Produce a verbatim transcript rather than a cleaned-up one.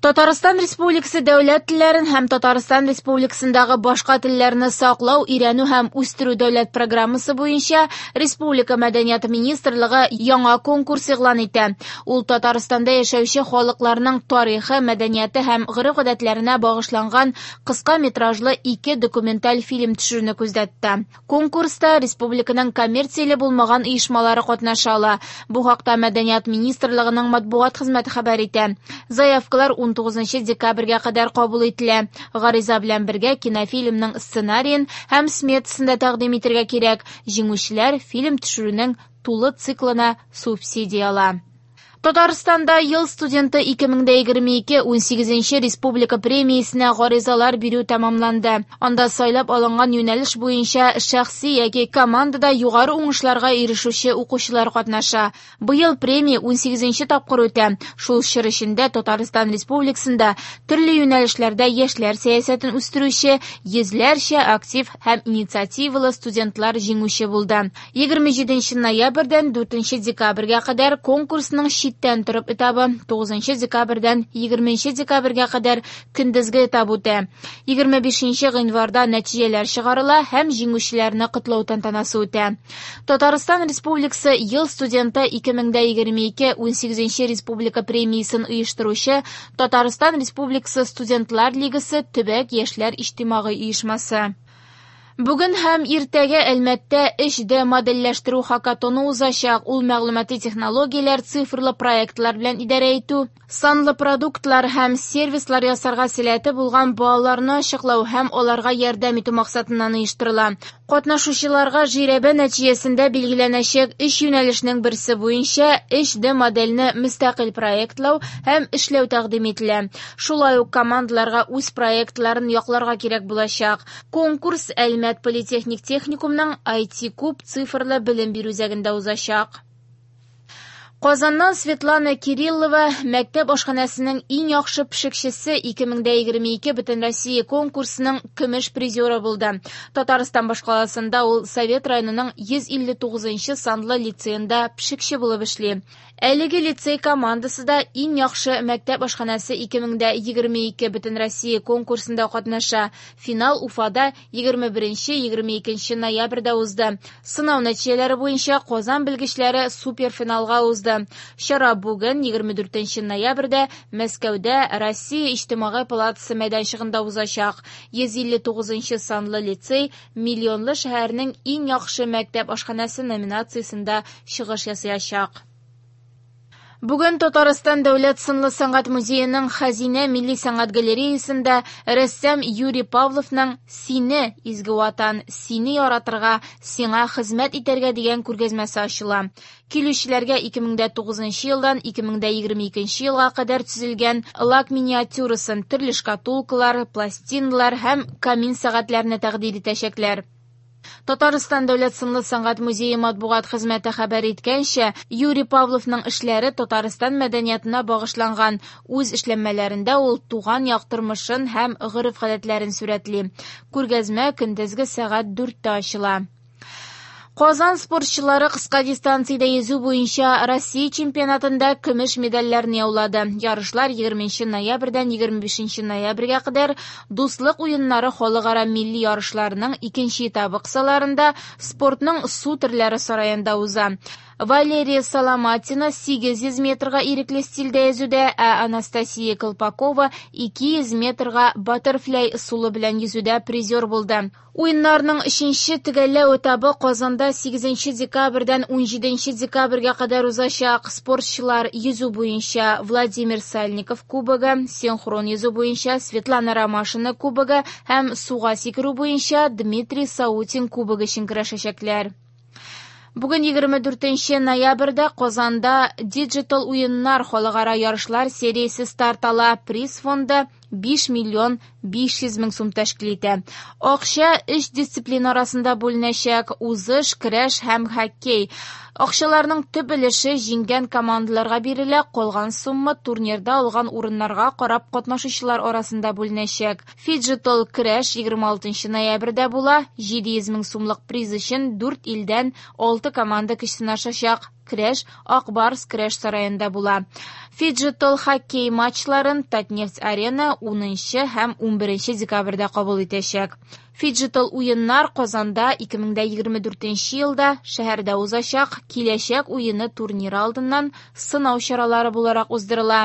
Татарстан Республикасы дәүләт телләрен һәм Татарстан Республикасындагы башка телләрне саклау, өйрәнү һәм үстерү дәүләт программасы буенча Республика Мәдәният министрлыгы яңа конкурс игълан итә. Ул Татарстанда яшәүче халыкларның тарихы, мәдәнияте һәм гореф-гадәтләренә багышланган кыска метражлы ике документаль фильм төшерүне күздә тота. Конкурста республиканың коммерцияле булмаган оешмалары катнаша ала. Бу хакта Мәдәният министрлыгының матбугат хезмәте хәбәр итә. Заявкалар ун тугызынчы декабрьгә кадәр кабул ителә. Гариза белән бергә кинофильмның сценариен һәм сметасын да тәкъдим итәргә кирәк. Җиңүчеләр фильм төшерүнең тулы циклына субсидия ала. Татарстанда ел студенты ике мең дә егерме ике унсигезенче республика премиясенә гаризалар бирү тәмамланды. Анда сайлап алынган юнәлеш буенча шәхси яки командада югары уңышларга ирешүче укучылар катнаша. Быел премия унсигезенче тапкыр үтә. Шул чор эчендә Татарстан Республикасында төрле юнәлешләрдә яшьләр сәясәтен үстерүче йөзләрчә актив һәм инициативалы студентлар җиңүче булды. Егерме җиденче ноябрьдән дүртенче декабрьгә кадәр конкурсның читтән торып этабы, тугызынчы декабрьдән егерменче декабрьгә кадәр көндезге этап үтә. Егерме бишенче гыйнварда нәтиҗәләр чыгарыла һәм җиңүчеләрне котлау тантанасы үтә. Татарстан Республикасы ел студенты ике мең дә егерме ике унсигезенче республика премиясен оештыручы Татарстан Республикасы Студентлар Лигасы төбәк яшьләр иҗтимагый оешмасы. Бүген һәм иртәгә Әлмәттә өч Д модельләштерү хакатоны узачак. Ул мәгълүмати технологияләр, цифрлы проектлар белән идарә итү, санлы продуктлар һәм сервислар ясарга сәләте булган балаларны ачыклау һәм аларга ярдәм итү максатыннан оештырыла. Катнашучыларга жирәбә нәтиҗәсендә билгеләнәчәк өч юнәлешнең берсе буенча өч Д модельне мөстәкыйль проектлау һәм эшләү тәкъдим ителә. Шулай ук командаларга үз проектларын якларга кирәк булачак. Конкурс Әлмәт политехник техникумның ай ти куб цифрлы белем бирү үзәгендә узачак. Казаннан Светлана Кириллова мәктәп ашханәсенең иң яхшы пешекчесе ике мең дә егерме ике Бөтенроссия конкурсының көмеш призеры булды. Татарстан башкаласында ул Совет районының йөз илле тугызынчы санлы лицейында пешекче булып эшли. Әлеге лицей командасы да иң яхшы мәктәп ашханәсе ике мең дә егерме ике Бөтенроссия конкурсында катнаша. Финал Уфада егерме беренче, егерме икенче ноябрьдә узды. Сынау нәтиҗәләре буенча Казан белгечләре суперфиналга узды. Чара бүген егерме дүртенче ноябрьдә Мәскәүдә Россия Иҗтимагый палатасы мәйданчыгында узачак. Йөз илле тугызынчы санлы лицей миллионлы шәһәрнең иң яхшы мәктәп ашханәсе номинациясендә чыгыш ясаячак. Бүген Татарстан Дәүләт сынлы сәнгать музееның Хәзинә милли сәнгать галереясында рәссам Юрий Павловның Сине, изге ватан, сине яратырга, сиңа хезмәт итәргә дигән күргәзмәсе ачыла. Килүчеләргә ике мең дә тугызынчы елдан ике мең дә егерме икенче елга кадәр төзелгән лак миниатюрасын, төрле шкатулкалар, пластиналар һәм камин сәгатьләрне тәкъдим итәчәкләр. Татарстан Дәүләт сынлы сәнгать музее матбугат хезмәте хәбәр иткәнчә, Юрий Павловның эшләре Татарстан мәдәниятына багышланган. Үз эшләнмәләрендә ул туган як тормышын һәм гореф-гадәтләрен сурәтли. Күргәзмә көндезге сәгать дүрттә ачыла. Казан спортчылары кыска дистанциядә йөзү буенча Россия чемпионатында көмеш медальләрне яулады. Ярышлар егерменче ноябрьдән егерме бишенче ноябрьгә кадәр Дуслык уеннары халыкара милли ярышларының икенче этабы кысаларында спортның су төрләре сараенда уза. Валерия Соломатина сигез йөз метрга ирекле стильдә йөзүдә, ә Анастасия Колпакова ике йөз метрга баттерфляй ысулы белән йөзүдә призер булды. Уеннарның өченче төгәлләү этабы Казанда сигезенче декабрьдән унҗиденче декабрьгә кадәр узачак. Спортчылар йөзү буенча Владимир Сальников кубогы, синхрон йөзү буенча Светлана Ромашина кубогы һәм суга сикерү буенча Дмитрий Саутин кубогы өчен көрәшәчәкләр. Бүген егерме дүртенче ноябрьдә Казанда Digital уеннар халыкара ярышлар сериясе старт ала. Приз фонды биш миллион биш йөз мең сум тәшкил итә. Акча өч дисциплина арасында бүленәчәк: узыш, көрәш һәм хоккей. Акчаларның төп өлеше җиңгән командаларга бирелә, калган сумма турнирда алган урыннарга карап катнашучылар арасында бүленәчәк. Фиджитал көрәш егерме алтынчы ноябрьдә була. Җиде йөз мең сумлык приз өчен дүрт илдән алты команда көч сынашачак. Көрәш Ак Барс көрәш сараенда була. Фиджитал хоккей матчларын Татнефть-Арена унынчы һәм унберенче декабрьдә кабул итәчәк. Фиджитал уеннар Казанда ике мең егерме дүртенче елда шәһәрдә узачак Киләчәк уены турниры алдыннан сынау чаралары буларак уздырыла.